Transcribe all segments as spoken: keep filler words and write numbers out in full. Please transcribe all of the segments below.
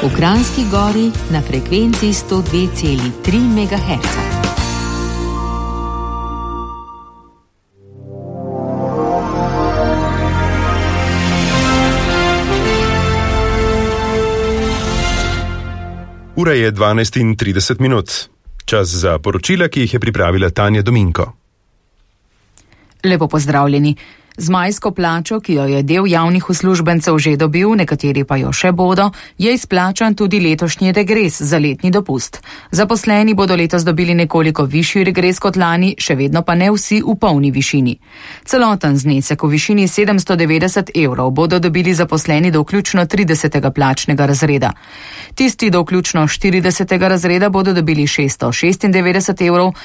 V Kranjski Gori na frekvenci sto dve celi tri megaherca. Ura je dvanajst in trideset minut. Čas za poročila, ki jih je pripravila Tanja Dominko. Lepo pozdravljeni. Z majsko plačo, ki jo je del javnih uslužbencev že dobil, nekateri pa jo še bodo, je izplačan tudi letošnji regres za letni dopust. Zaposleni bodo letos dobili nekoliko višji regres kot lani, še vedno pa ne vsi v polni višini. Celoten znesek v višini sedemsto devetdeset evrov bodo dobili zaposleni do vključno tridesetega plačnega razreda. Tisti do vključno štiridesetega razreda bodo dobili šeststo šestindevetdeset evrov,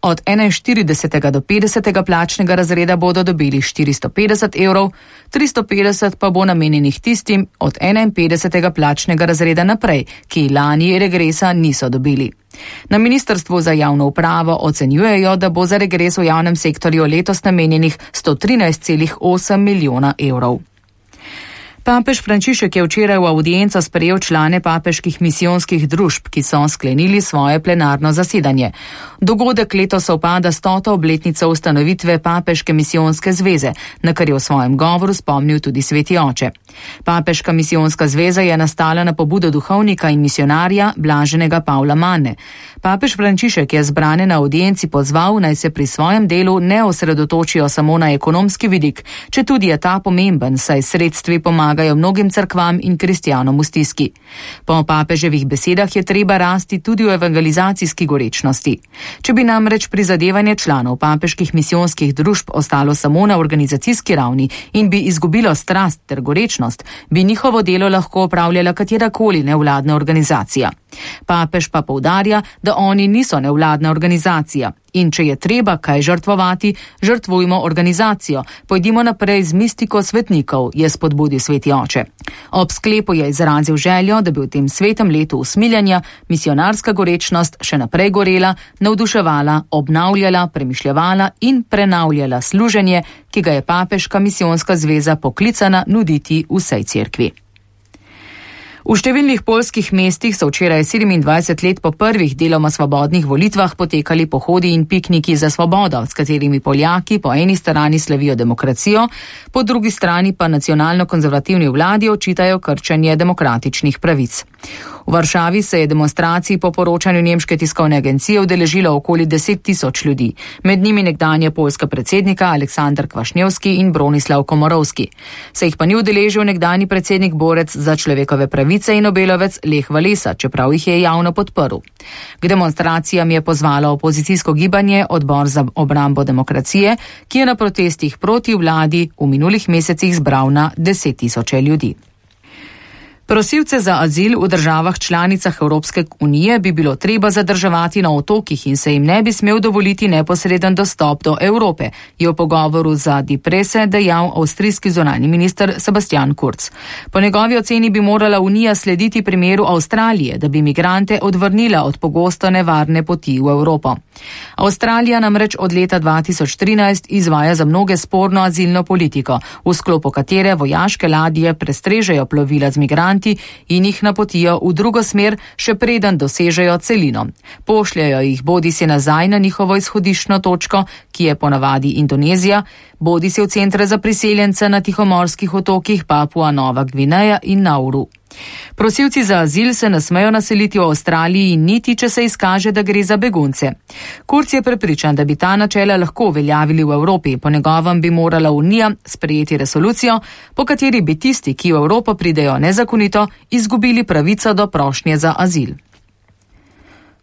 od enainštiridesetega do petdesetega plačnega razreda bodo dobili štiristo petdeset evrov, tristo petdeset pa bo namenjenih tistim od enainpetdesetega plačnega razreda naprej, ki lani regresa niso dobili. Na Ministrstvu za javno upravo ocenjujejo, da bo za regres v javnem sektorju letos namenjenih sto trinajst celih osem milijona evrov. Papež Frančišek je včeraj v avdienco sprejel člane papeških misijonskih družb, ki so sklenili svoje plenarno zasedanje. Dogodek letos sovpada s stoto obletnico ustanovitve Papeške misijonske zveze, na kar je v svojem govoru spomnil tudi sveti oče. Papeška misijonska zveza je nastala na pobudo duhovnika in misionarja Blaženega Pavla Manne. Papež Frančišek je zbrane na avdienci pozval, naj se pri svojem delu ne osredotočijo samo na ekonomski vidik, četudi je ta pomemben, saj sredstvi pomagajo mnogim cerkvam in kristjanom v stiski. Po papeževih besedah je treba rasti tudi v evangelizacijski gorečnosti. Če bi namreč prizadevanje članov papeških misijonskih družb ostalo samo na organizacijski ravni in bi izgubilo strast ter gorečnost, bi njihovo delo lahko opravljala katerakoli nevladna organizacija. Papež pa poudarja, da oni niso nevladna organizacija. In če je treba kaj žrtvovati, žrtvujmo organizacijo, pojdimo naprej z mistiko svetnikov, je spodbudil sveti oče. Ob sklepu je izrazil željo, da bi v tem svetem letu usmiljanja misionarska gorečnost še naprej gorela, navduševala, obnavljala, premišljevala in prenavljala služenje, ki ga je Papeška misijonska zveza poklicana nuditi vsej cerkvi. V številnih poljskih mestih so včeraj sedemindvajset let po prvih deloma svobodnih volitvah potekali pohodi in pikniki za svobodo, s katerimi Poljaki po eni strani slavijo demokracijo, po drugi strani pa nacionalno-konzervativni vladi očitajo krčenje demokratičnih pravic. V Varšavi se je demonstracij po poročanju nemške tiskovne agencije udeležilo okoli deset tisoč ljudi, med njimi nekdanja poljska predsednika Aleksandar Kvašnjevski in Bronislav Komorovski. Se jih pa ni udeležil nekdanji predsednik borec za človekove pravice in Nobelovec Lech Walesa, čeprav jih je javno podprl. K demonstracijam je pozvalo opozicijsko gibanje Odbor za obrambo demokracije, ki je na protestih proti vladi v minulih mesecih zbral na deset tisoče ljudi. Prosilce za azil v državah članicah Evropske unije bi bilo treba zadrževati na otokih in se jim ne bi smel dovoliti neposreden dostop do Evrope, je v pogovoru za Die Presse dejal avstrijski zunanji minister Sebastian Kurz. Po njegovi oceni bi morala Unija slediti primeru Avstralije, da bi migrante odvrnila od pogosto nevarne poti v Evropo. Avstralija namreč od leta dva tisoč trinajst izvaja za mnoge sporno azilno politiko, v sklopu katere vojaške ladje prestrežejo plovila z migranti in jih napotijo v drugo smer, še preden dosežejo celino. Pošljajo jih bodisi nazaj na njihovo izhodiščno točko, ki je ponavadi Indonezija, bodisi v centre za priseljence na tihomorskih otokih Papua Nova Gvineja in Nauru. Prosilci za azil se ne smejo naseliti v Avstraliji niti, če se izkaže, da gre za begunce. Kurz je prepričan, da bi ta načela lahko uveljavili v Evropi, po njegovem bi morala Unija sprejeti resolucijo, po kateri bi tisti, ki v Evropo pridejo nezakonito, izgubili pravico do prošnje za azil.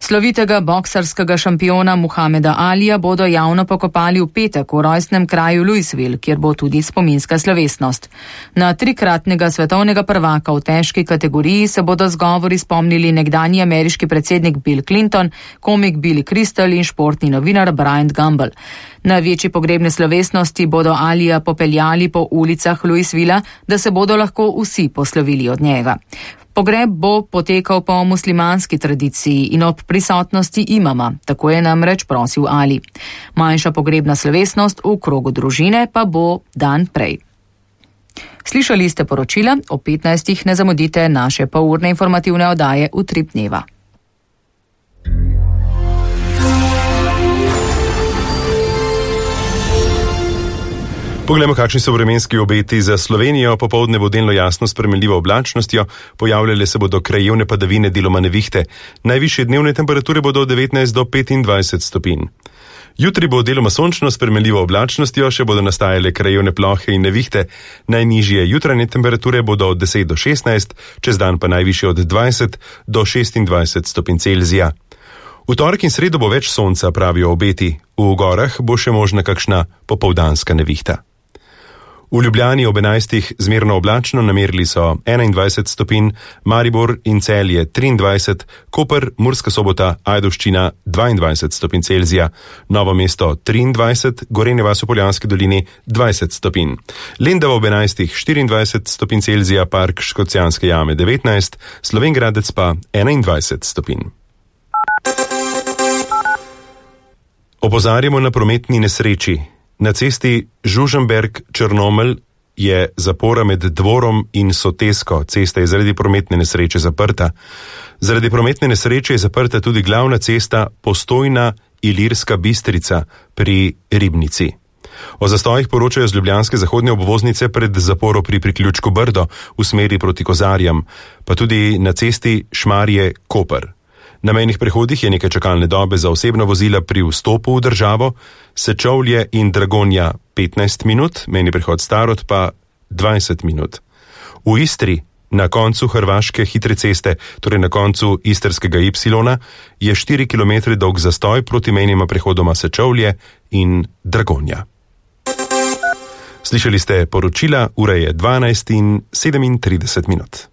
Slovitega boksarskega šampiona Muhameda Alija bodo javno pokopali v petek v rojstnem kraju Louisville, kjer bo tudi spominska slovesnost. Na trikratnega svetovnega prvaka v težki kategoriji se bodo z govori spomnili nekdanji ameriški predsednik Bill Clinton, komik Billy Crystal in športni novinar Brian Gumbel. Na večji pogrebne slovesnosti bodo Alija popeljali po ulicah Louisvilla, da se bodo lahko vsi poslovili od njega. Pogreb bo potekal po muslimanski tradiciji in ob prisotnosti imama, tako je namreč prosil Ali. Manjša pogrebna slovesnost v krogu družine pa bo dan prej. Slišali ste poročila, o petnajstih ne zamudite naše polurne informativne oddaje Utrip dneva. Poglejmo, kakšni so vremenski obeti za Slovenijo. Popoldne bo delno jasno s spremenljivo oblačnostjo, pojavljale se bodo krajevne padavine, deloma nevihte. Najvišje dnevne temperature bodo od devetnajst do petindvajset stopinj. Jutri bo deloma sončno s spremenljivo oblačnostjo, še bodo nastajale krajevne plohe in nevihte. Najnižje jutranje temperature bodo od deset do šestnajst, čez dan pa najvišje od dvajset do šestindvajset stopinj Celzija. V torek in sredo bo več sonca, pravijo obeti. V gorah bo še možna kakšna popoldanska nevihta. V Ljubljani ob enajstih zmerno oblačno, namerili so enaindvajset stopinj, Maribor in Celje triindvajset, Koper, Murska Sobota, Ajdovščina dvaindvajset stopinj Celzija, Novo mesto triindvajset, Gorenja vas v Poljanski dolini dvajset stopinj. Lendava ob enajstih štiriindvajset stopinj Celzija, Park Škocjanske jame devetnajst, Slovenj Gradec pa enaindvajset stopinj. Opozarjamo na prometni nesreči. Na cesti Žužemberk-Črnomelj je zapora med Dvorom in Sotesko. Cesta je zaradi prometne nesreče zaprta. Zaradi prometne nesreče je zaprta tudi glavna cesta Postojna-Ilirska Bistrica pri Ribnici. O zastojih poročajo z ljubljanske zahodne obvoznice pred zaporo pri priključku Brdo v smeri proti Kozarjam, pa tudi na cesti Šmarje-Koper. Na mejnih prehodih je nekaj čakalne dobe za osebna vozila pri vstopu v državo, Sečovlje in Dragonja petnajst minut, mejni prehod Starod pa dvajset minut. V Istri, na koncu hrvaške hitre ceste, torej na koncu istrskega Y, je štiri kilometre dolg zastoj proti mejnima prehodoma Sečovlje in Dragonja. Slišali ste poročila, ura je dvanajst in sedemintrideset minut.